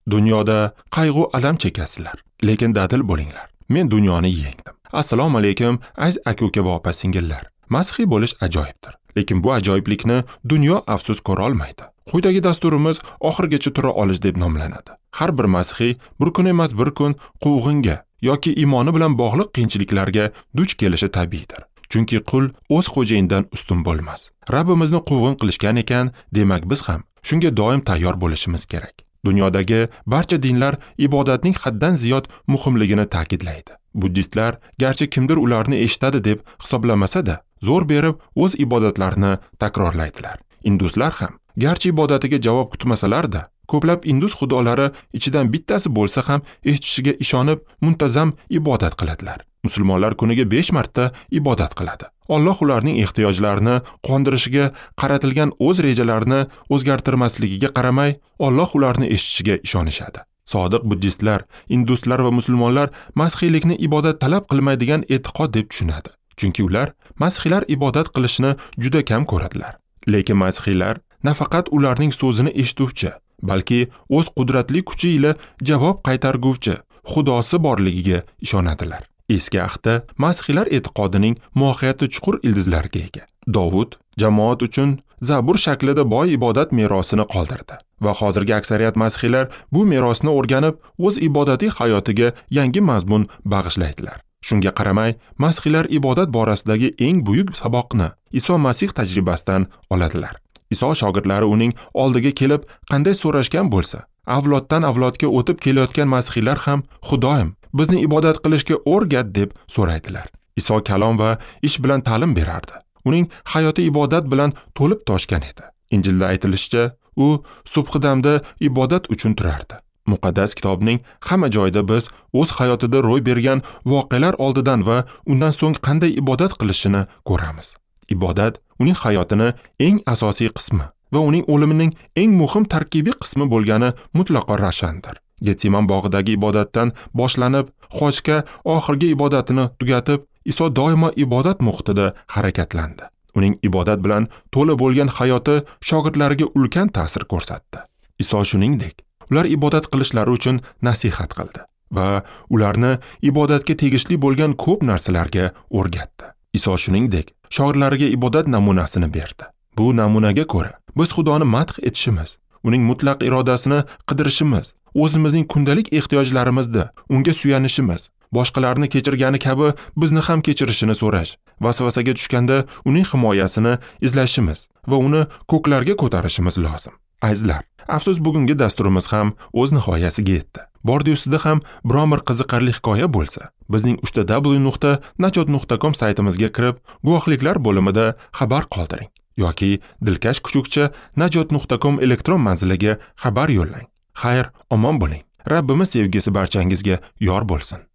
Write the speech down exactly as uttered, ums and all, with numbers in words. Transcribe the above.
Dunyoda qayg'u alam chekasizlar, lekin dadil bo'linglar. Men dunyoni yengdim. Assalomu alaykum, aziz aka-uka va opa-singillar. Masihiy bo'lish ajoyibdir, lekin bu ajoyiblikni dunyo afsus ko'ra olmaydi. Quyidagi dasturimiz oxirigacha tura olish deb nomlanadi. Har bir masihiy bir kun emas bir kun quvg'inga yoki iymoni bilan bog'liq qiyinchiliklarga duch kelishi tabiiydir. Chunki qul o'z xo'jayinidan ustun bo'lmas. Rabbimizni quvg'in qilishgan ekan, demak biz ham shunga doim tayyor bo'lishimiz kerak. Dunyodagi barcha dinlar ibodatning haddan ziyod muhimligini ta'kidlaydi. Buddistlar, garchi kimdir ularni eshitadi deb hisoblamasa-da, zo'r berib o'z ibodatlarini takrorlaydilar. Induslar ham, garchi ibodatiga javob kutmasalar-da, ko'plab indus xudolari ichidan bittasi bo'lsa ham eshitishiga ishonib, muntazam ibodat qiladilar. Musulmonlar kuniga besh marta ibodat qiladi. Alloh ularning ehtiyojlarini qondirishiga qaratilgan o'z rejalarini o'zgartirmasligiga qaramay, Alloh ularni eshitishiga ishonishadi. Sodiq buddistlar, induslar va musulmonlar masihiylikni ibodat talab qilmaydigan e'tiqod deb tushunadi. Chunki ular masihiylar ibodat qilishni juda kam ko'radilar. Lekin masihiylar nafaqat ularning so'zini eshituvchi, balki o'z qudratli kuchi ila javob qaytarguvchi Xudosi borligiga ishonadilar. Eski ahdda masihiylar e'tiqodining mohiyati chuqur ildizlarga ega. Dovud jamoat uchun Zabur shaklida boy ibodat merosini qoldirdi va hozirgi aksariyat masihiylar bu merosni o'rganib, o'z ibodatiy hayotiga yangi mazmun bag'ishlaydilar. Shunga qaramay, masihiylar ibodat borasidagi eng buyuk saboqni Iso Masih tajribasidan oladilar. Iso shogirdlari uning oldiga kelib qanday so'rashgan bo'lsa, avloddan avlodga o'tib kelayotgan masihiylar ham Xudoyim, bizni ibodat qilishga o'rgat deb so'raydilar. Iso kalom va ish bilan ta'lim berardi. Uning hayoti ibodat bilan to'lib toshgan edi. Injilda aytilishicha, u subhidamda ibodat uchun turardi. Muqaddas kitobning hamma joyida biz o'z hayotida ro'y bergan voqealar oldidan va undan so'ng qanday ibodat qilishini ko'ramiz. Ibodat uning hayotini eng asosiy qismi va uning o'limining eng muhim tarkibiy qismi bo'lgani mutlaqo ravshandir. Getseman bog'idagi ibodatdan boshlanib, Xochga oxirgi ibodatini tugatib, Iso doimo ibodat muhitida harakatlandi. Uning ibodat bilan to'la bo'lgan hayoti shogirdlariga ulkan ta'sir ko'rsatdi. Iso shuningdek, ular ibodat qilishlari uchun nasihat qildi va ularni ibodatga tegishli bo'lgan ko'p narsalarga o'rgatdi. Iso shuningdek, shogirdlariga ibodat namunasini berdi. Bu namunaga ko'ra, biz Xudoni madh etishimiz, uning mutlaq irodasini qidirishimiz, o'zimizning kundalik ehtiyojlarimizda unga suyanishimiz, boshqalarni kechirgani kabi bizni ham kechirishini so'rash, vasvasaga tushganda uning himoyasini izlashimiz va uni ko'klarga ko'tarishimiz lozim. Azizlar, afsus bugungi dasturimiz ham o'z nihoyasiga yetdi. Bordi ustida ham biron bir qiziqarli hikoya bo'lsa, bizning uch w nuqta najot nuqta com saytimizga kirib, guvohliklar bo'limida xabar qoldiring yoki dilkash kuchukcha najot nuqta com elektron manziliga xabar yo'llang. Xayr, omon bo'ling. Rabbimiz sevgisi barchangizga yor bo'lsin.